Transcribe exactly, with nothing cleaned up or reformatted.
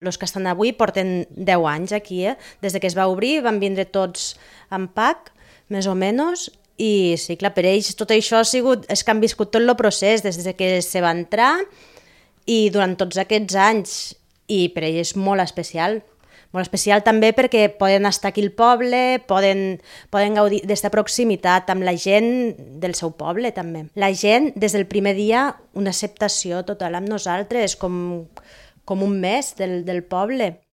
Els que estan avui porten deu anys aquí, eh? Des que es va obrir van vindre tots en pack, més o menys, i sí, clar, per ells tot això ha sigut, és que han viscut tot el procés des que se va entrar i durant tots aquests anys, i per ells és molt especial. Molt especial també perquè poden estar aquí al poble, poden, poden gaudir d'esta proximitat amb la gent del seu poble també. La gent, des del primer dia, una acceptació total amb nosaltres, com, com un mes del, del poble.